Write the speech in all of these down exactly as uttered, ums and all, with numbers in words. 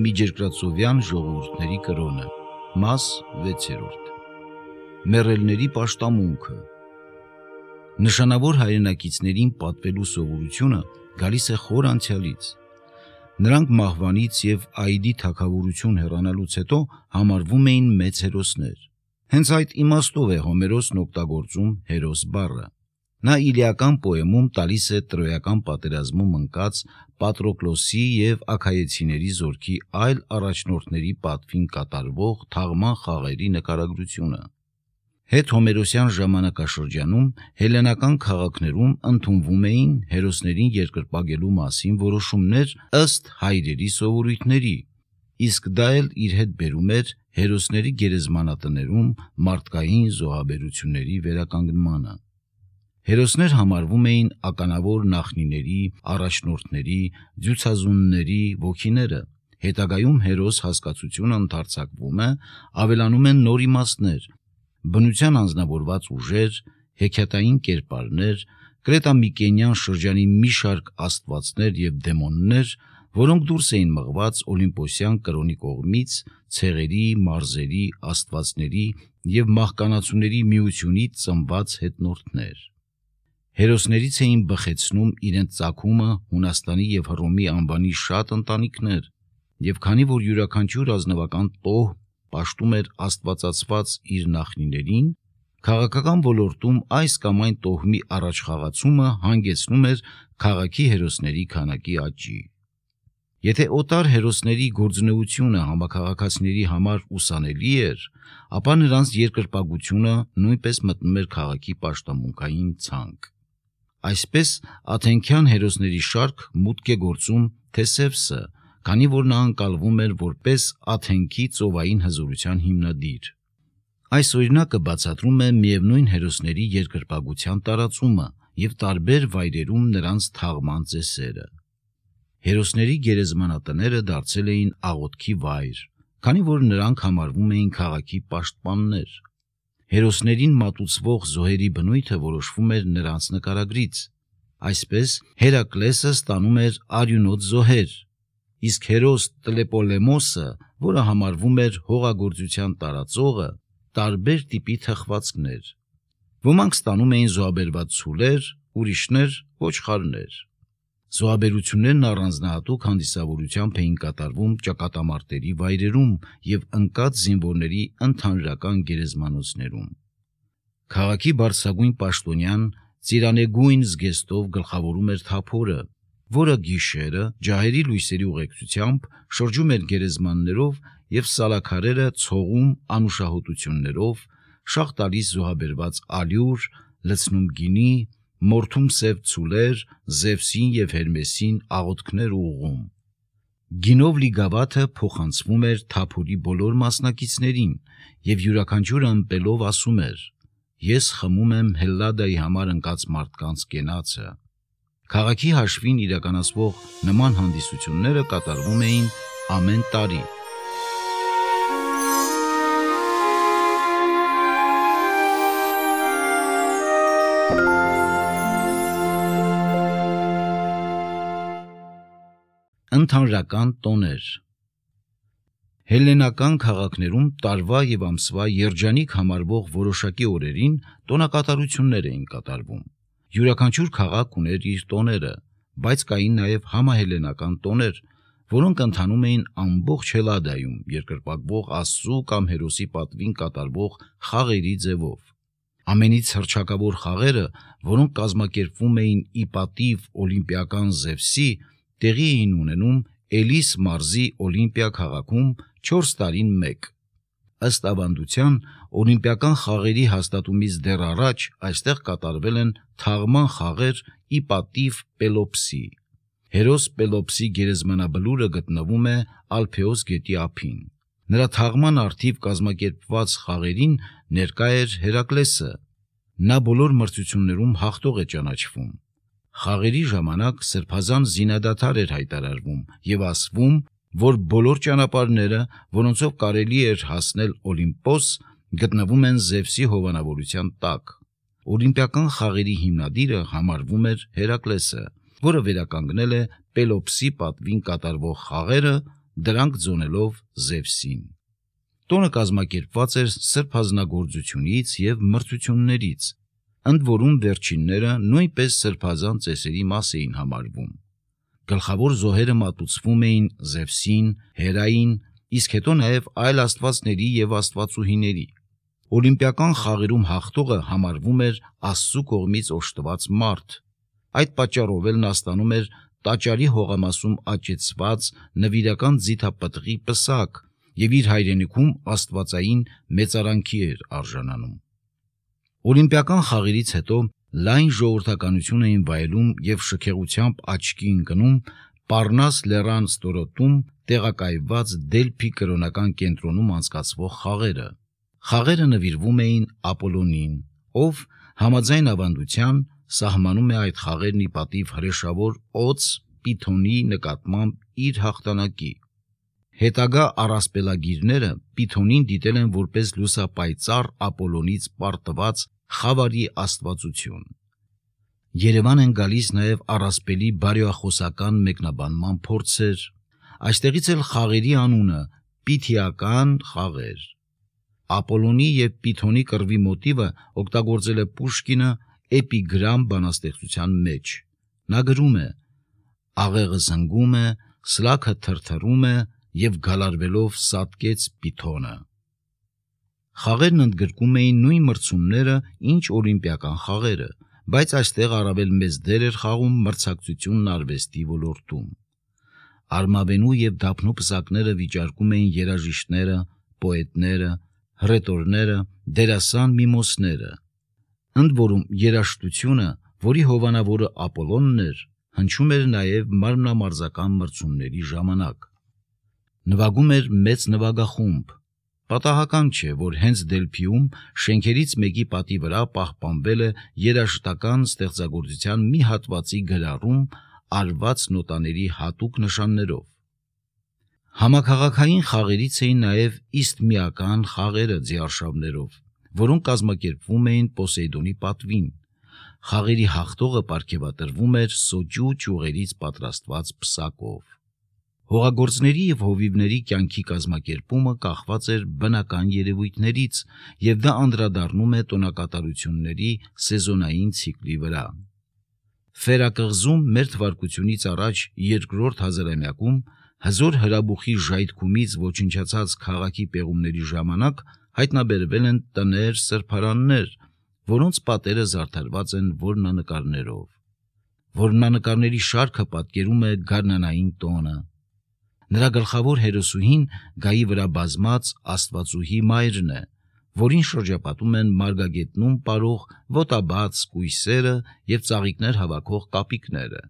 միջերկրածովյան ժողովուրդների կրոնը։ Մաս վեցերորդ։ Մեռելների պաշտամունքը։ Նշանավոր հայրենակիցներին պատվելու սովորությունը գալիս է խոր անցյալից։ Նրանք մահվանից և Այդի թագավորություն հեռանալուց հետո համարվում էին մեծ հերոսներ։ Հենց այդ իմաստով է Հոմերոսն օգտագործում հերոս բառը։ Նա իլիական պոեմում տալիս է տրոյական պատերազմում ընկած Պատրոկլոսի և աքայեցիների զորքի այլ առաջնորդների պատվին կատարվող թաղման խաղերի նկարագրությունը։ Հետհոմերոսյան ժամանակաշրջանում հելլենական քաղաքներում ընդունվում էին հերոսներին երկրպագելու մասին որոշումներ ըստ հայրերի սովորույթների, իսկ դա էլ իր հետ բերում էր հերոսների գերեզմանատներում մարդկային զոհաբերությունների վերականգնմանը։ Հերոսներ համարվում էին ականավոր նախնիների, առաջնորդների, ձյուծազունների ոգիները։ Հետագայում հերոս հասկացությունը ընդարձակվում է, ավելանում են նոր իմաստներ, բնության անձնավորված ուժեր, հեքիաթային կերպարներ, կրետամիկենյան շրջանի մի շարք աստվածներ և դեմոններ, որոնք դուրս էին մղված օլիմպոսյան կրոնի կողմից ցեղերի, մարզերի, աստվածների և մահկանացուների միությունից ծնված հետնորդներ։ Հերոսներից էին բխեցնում իրենց ծագումը Հունաստանի և Հռոմի անվանի շատ ընտանիքներ, և քանի որ յուրաքանչյուր ազնվական տոհ պաշտում էր աստվածացված իր նախնիներին, քաղաքական ոլորտում այս կամ այն տոհմի առաջխաղացումը հանգեցնում էր քաղաքի հերոսների քանակի աճի։ Եթե օտար հերոսների գործունեությունը համաքաղաքացիների համար ուսանելի էր, ապա նրանց երկրպագությունը նույնպես մտնում էր քաղաքի պաշտամունքային ցանկ։ Այսպես աթենքյան հերոսների շարք մուտք է գործում Թեսևսը, քանի որ նա ընկալվում էր որպես Աթենքի ծովային հզորության հիմնադիր։ Այս օրինակը բացատրում է միևնույն հերոսների երկրպագության տարածումը և տարբեր վայրերում նրանց թաղման ծեսերը։ Հերոսների գերեզմանատները դարձել էին աղոթքի վայր, քանի որ նրանք համարվում էին քաղաքի պաշտպաններ։ Հերոսներին մատուցվող զոհերի բնույթը որոշվում էր նրանց նկարագրից։ Այսպես Հերակլեսը ստանում էր արյունոտ զոհեր, իսկ հերոս Տլեպոլեմոսը, որը համարվում էր հողագործության տարածողը, տարբեր տիպի թխվածքներ։ Ոմանք ստանում էին զոհաբերված ցուլեր, ուրիշներ ոչխարներ։ Զոհաբերություններն առանձնահատուկ հանդիսավորությամբ էին կատարվում ճակատամարտերի վայրերում և ընկած զինվորների ընդհանրական գերեզմանոցներում։ Քաղաքի բարձրագույն պաշտոնյան ծիրանեգույն զգեստով գլխավորում էր թափորը, որը գիշերը ջահերի լույսերի ուղեկցությամբ շրջում էր գերեզմաններով և սալաքարերը ցողում անուշահոտություններով, շաղ տալիս զոհաբերված ալյուր, լցնում գինի, մորթում սև ցուլեր, Զևսին և Հերմեսին աղոթքներ ուղղում։ Գինով լի գավաթը փոխանցվում էր թափորի բոլոր մասնակիցներին, և յուրաքանչյուրը ըմպելով ասում էր. «Ես խմում եմ Հելլադայի համար ընկած մարդկանց կենացը»։ Քաղաքի հաշվին իրականացվող նման հանդիսությունները կատարվում էին ամեն տարի։ Ընդհանրական տոներ։ Հելլենական քաղաքներում տարվա և ամսվա երջանիկ համարվող որոշակի օրերին տոնակատարություններ էին կատարվում։ Յուրաքանչյուր քաղաք ուներ իր տոները, բայց կային նաև համահելլենական տոներ, որոնք ընթանում էին ամբողջ Հելլադայում երկրպագվող աստծու կամ հերոսի պատվին կատարվող խաղերի ձևով։ Ամենից հռչակավոր խաղերը, որոնք կազմակերպվում էին ի պատիվ օլիմպիական Զևսի, տեղի էին ունենում Էլիս մարզի Օլիմպիա քաղաքում չորս տարին մեկ։ Ըստ ավանդության, օլիմպիական խաղերի հաստատումից դեռ առաջ այստեղ կատարվել են թաղման խաղեր ի պատիվ Պելոպսի։ Հերոս Պելոպսի գերեզմանաբլուրը գտնվում է Ալփեոս գետի ափին։ Նրա թաղման առթիվ կազմակերպված խաղերին ներկա էր Հերակլեսը։ Նա բոլոր մրցություններում հաղթող է ճանաչվում։ Խաղերի ժամանակ սրբազան զինադադար էր հայտարարվում և ասվում, որ բոլոր ճանապարհները, որոնցով կարելի էր հասնել Օլիմպոս, գտնվում են Զևսի հովանավորության տակ։ Օլիմպիական խաղերի հիմնադիրը համարվում էր Հերակլեսը, որը վերականգնել է Պելոպսի պատվին կատարվող խաղերը դրանք ձոնելով Զևսին։ Տոնը կազմակերպված էր սրբ հանձնագործությունից և մրցություններից, ընդ որում վերջինները նույնպես սրբազան ծեսերի մաս էին համարվում։ Գլխավոր զոհերը մատուցվում էին Զևսին, Հերային, իսկ հետո նաև այլ աստվածների և աստվածուհիների։ Օլիմպիական խաղերում հաղթողը համարվում էր Աստծու կողմից օժտված մարդ։ Այդ պատճառով էլ նա ստանում էր տաճարի հողամասում աճեցված նվիրական ձիթապտղի պսակ և իր հայրենիքում աստվածային մեծարանքի էր արժանանում։ Օլիմպիական խաղերից հետո լայն ժողովրդականություն էին վայելում և շքեղությամբ աչքի ընկնում Պառնաս լեռան ստորոտում տեղակայված Դելփի կրոնական կենտրոնում անցկացվող խաղերը։ Խաղերը նվիրվում էին Ապոլոնին, ով համաձայն ավանդության սահմանում է այդ խաղերն ի պատիվ հրեշավոր օձ Պիթոնի նկատմամբ իր հաղթանակի։ Հետագա առասպելագիրները Պիթոնին դիտել են որպես լուսապայծառ Ապոլոնից պարտված խավարի աստվածություն։ Երևան են գալիս նաև առասպելի բարեխոսական մեկնաբանման փորձեր։ Այստեղից էլ խաղերի անունը Պիթիական խաղեր։ Ապոլոնի և Պիթոնի կռվի մոտիվը օգտագործել է Պուշկինը էպիգրամ բանաստեղծության մեջ։ Նա գրում է. «Աղեղը զնգում է, սլաքը թրթռում է և գալարվելով սատկեց Պիթոնը»։ Խաղերն ընդգրկում էին նույն մրցումները, ինչ օլիմպիական խաղերը, բայց այստեղ առավել մեծ դեր էր խաղում մրցակցությունն արվեստի ոլորտում։ Արմավենու և դափնու պսակները վիճարկում էին երաժիշտները, պոետները, հռետորները, դերասան միմոսները։ Ընդ որում երաժշտությունը, որի հովանավորը Ապոլոնն էր, հնչում էր նաև մարմնամարզական մրցումների ժամանակ։ Նվագում էր մեծ նվագախումբ։ Պատահական չէ, որ հենց Դելփիում շենքերից մեկի պատի վրա պահպանվել է երաժշտական ստեղծագործության մի հատվածի գրառում արված նոտաների հատուկ նշաններով։ Համաքաղաքային խաղերից էին նաև իսթմիական խաղերը ձիարշավներով, որոնք կազմակերպվում էին Պոսեյդոնի պատվին։ Խաղերի հաղթողը պարգևատրվում էր սոճու ճյուղերից պատրաստված պսակով։ Հողագործների և հովիվների կյանքի կազմակերպումը կախված էր բնական երևույթներից, և դա անդրադառնում է տոնակատարությունների սեզոնային ցիկլի վրա։ Ֆերակղզում մեր թվարկությունից առաջ երկրորդ հազարամյակում հզոր հրաբուխի ժայթքումից ոչնչացած քաղաքի պեղումների ժամանակ հայտնաբերվել են տներ, սրբարաններ, որոնց պատերը զարդարված են որմնանկարներով։ Որմնանկարների շարքը պատկերում է գարնանային տոնը։ Նրա գլխավոր հերոսուհին գայի վրա բազմած աստվածուհի մայրն է, որին շրջապատում են մարգագետնում պարող ոտաբաց կույսերը և ծաղիկներ հավաքող կապիկները։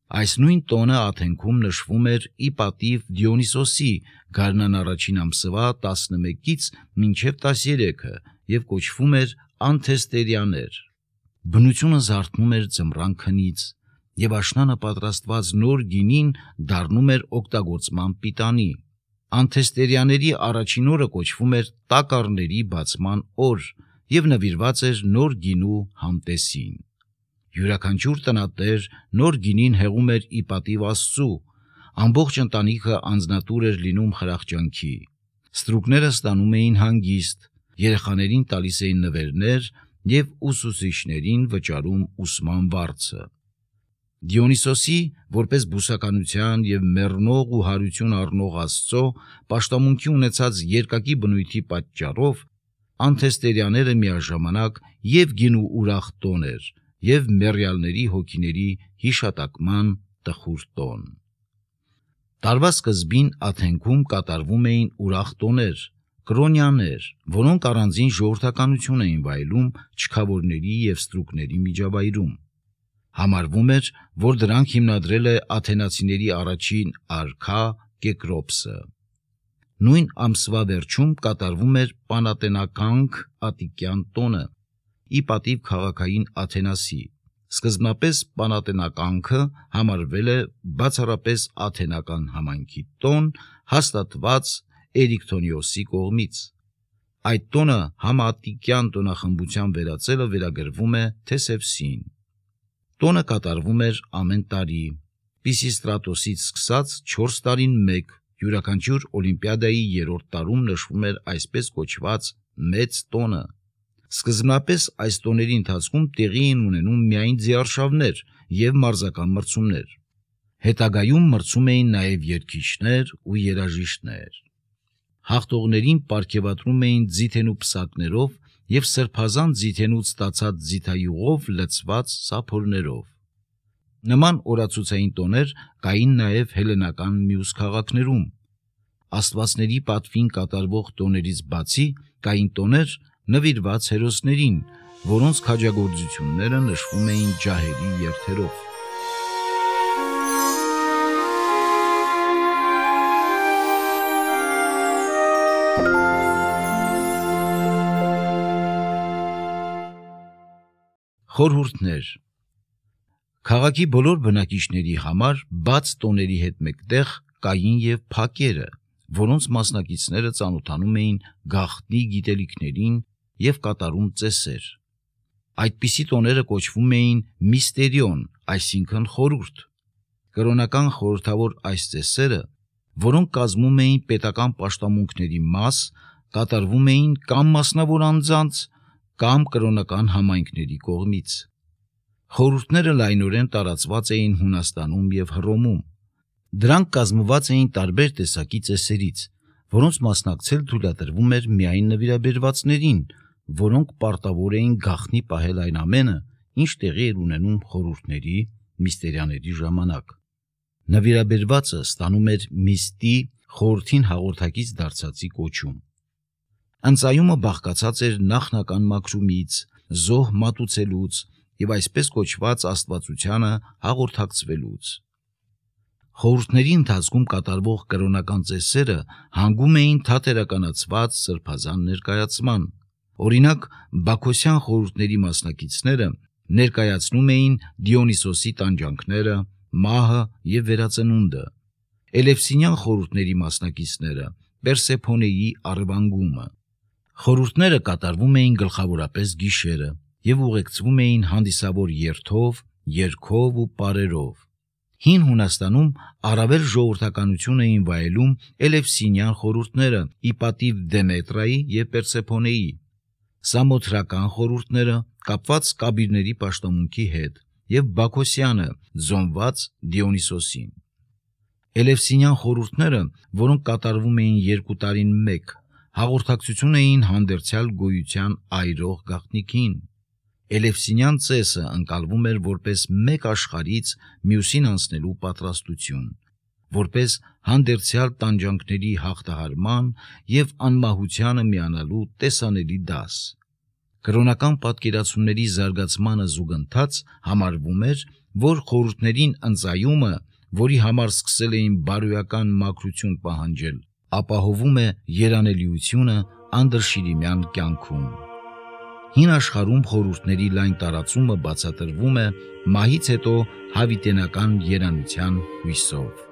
Այս նույն տոնը Աթենքում նշվում էր ի պատիվ Դիոնիսոսի գարնան առաջին ամսվա տասնմեկից մինչև տասներեքը և կոչվում էր Անթեստերիաներ։ Բնությունը զարթնում էր ձմռան քնից, և աշնանը պատրաստված նոր գինին դառնում էր օգտագործման պիտանի։ Անթեստերիաների առաջին օրը կոչվում էր Տակառների բացման օր և նվիրված էր նոր գինու համտեսին։ Յուրաքանչյուր տնատեր նոր գինին հեղում էր ի պատիվ Աստծու, ամբողջ ընտանիքը անձնատուր էր լինում խրախճանքի։ Ստրուկները ստանում էին հանգիստ, երեխաներին տալիս էին նվերներ և ուսուցիչներին վճարում ուսման վարձը։ Դիոնիսոսի, որպես բուսականության և մեռնող ու հարություն առնող Աստծո, պաշտամունքի ունեցած երկակի բնույթի պատճառով Անթեստերիաները միաժամանակ և գինու ուրախ տոն էր, և մեռյալների հոգիների հիշատակման տխուր տոն։ Տարվա սկզբին Աթենքում կատարվում էին ուրախ տոներ, կրոնյաներ, որոնք առանձին ժողովրդականություն էին վայելում չքավորների և ստրուկների միջավայրում։ Համարվում էր, որ դրանք հիմնադրել է աթենացիների առաջին արքա Կեկրոպսը։ Նույն ամսվա վերջում կատարվում էր Պանատենականք Ատտիկյան տոնը, ի պատիվ քաղաքային Աթենասի։ Սկզբնապես Պանատենականքը համարվել է բացառապես աթենական համայնքի տոն, հաստատված Էրիկթոնիոսի կողմից։ Այդ տոնը համաատտիկյան տոնախմբության վերածելը վերագրվում է Թեսևսին։ Տոնը կատարվում էր ամեն տարի, Պիսիստրատոսից սկսած չորս տարին մեկ, յուրաքանչյուր օլիմպիադայի երրորդ տարում նշվում էր այսպես կոչված մեծ տոնը։ Սկզբնապես այս տոների ընթացքում տեղի էին ունենում միայն ձիարշավներ և մարզական մրցումներ։ Հետագայում մրցում էին նաև երգիչներ ու երաժիշտներ։ Հաղթողներին պարգևատրում էին ձիթենու պսակներով և սրբազան ձիթենուց ստացած ձիթայուղով լցված սափորներով։ Նման օրացուցային տոներ կային նաև հելլենական մյուս քաղաքներում։ Աստվածների պատվին կատարվող տոներից բացի կային տոներ նվիրված հերոսներին, որոնց քաջագործությունները նշվում էին ջահերի երթերով։ Խորհուրդներ։ Քաղաքի բոլոր բնակիչների համար բաց տոների հետ մեկտեղ կային և փակերը, որոնց մասնակիցները ծանոթանում էին գաղտնի գիտելիքներին և կատարում ծեսեր։ Այդպիսի տոները կոչվում էին միստերիոն, այսինքն խորհուրդ։ Կրոնական խորհրդավոր այս ծեսերը, որոնք կազմում էին պետական պաշտամունքների մաս, կատարվում էին կամ մասնավոր անձանց, կամ կրոնական համայնքների կողմից։ Խորհուրդները լայնորեն տարածված էին Հունաստանում և Հռոմում։ Դրանք կազմված էին տարբեր տեսակի ծեսերից, որոնց մասնակցել թույլատրվում էր միայն նվիրաբերվածներին, որոնք պարտավոր էին գաղտնի պահել այն ամենը, ինչ տեղի էր ունենում խորհուրդների, միստերիաների ժամանակ։ Նվիրաբերվածը ստանում էր միստի, խորհրդին հաղորդակից դարձածի կոչում։ Ընծայումը բաղկացած էր նախնական մաքրումից, զոհ մատուցելուց և այսպես կոչված աստվածությանը հաղորդակցվելուց։ Խորհուրդների ընթացքում կատարվող կրոնական ծեսերը հանգում էին թատերականացված սրբազան ներկայացման։ Օրինակ, բաքոսյան խորհուրդների մասնակիցները ներկայացնում էին Դիոնիսոսի տանջանքները, մահը և վերածնունդը, Էլևսինյան խորհուրդների մասնակիցները Պերսեփոնեի առևանգումը։ Խորհուրդները կատարվում էին գլխավորապես գիշերը և ուղեկցվում էին հանդիսավոր երթով, երգով ու պարերով։ Հին Հունաստանում առավել ժողովրդականություն էին վայելում Էլևսինյան խորհուրդները ի պատիվ Դեմետրայի և Պերսեփոնեի, Սամոթրական խորհուրդները կապված կաբիրների պաշտամունքի հետ և Բաքոսյանը ձոնված Դիոնիսոսին։ Էլևսինյան խորհուրդները, որոնք կատարվում էին երկու տարին մեկ, հաղորդակցություն էին հանդերձյալ գոյության այրող գաղտնիքին։ Էլևսինյան ծեսը ընկալվում էր որպես մեկ աշխարհից մյուսին անցնելու պատրաստություն, որպես հանդերձյալ տանջանքների հաղթահարման և անմահությանը միանալու տեսանելի դաս։ Կրոնական պատկերացումների զարգացմանը զուգընթաց համարվում էր, որ խորհուրդներին ընծայումը, որի համար սկսել էին բարոյական մաքրություն պահանջել, ապահովում է երանելիությունը անդրշիրիմյան կյանքում։ Հին աշխարհում խորհուրդների լայն տարածումը բացատրվում է մահից հետո հավիտենական երանության հույսով։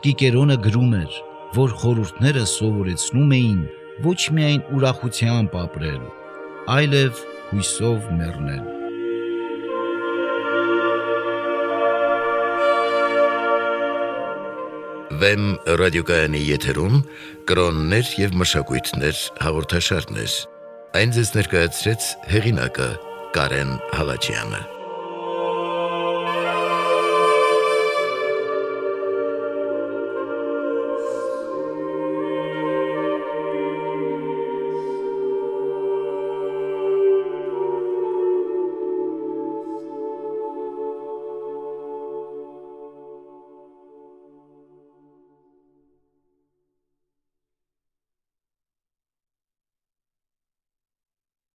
Կիկերոնը գրում էր, որ խորհուրդները սովորեցնում էին ոչ միայն ուրախությամբ ապրել, այլև հույսով մեռնել։ Վեմ ռադիոկայանի եթերում կրոններ և մշակույթներ հաղորդաշարներ։ Այն ձեզ ներկայացրեց հեղինակը Կարեն Հալաջյանը։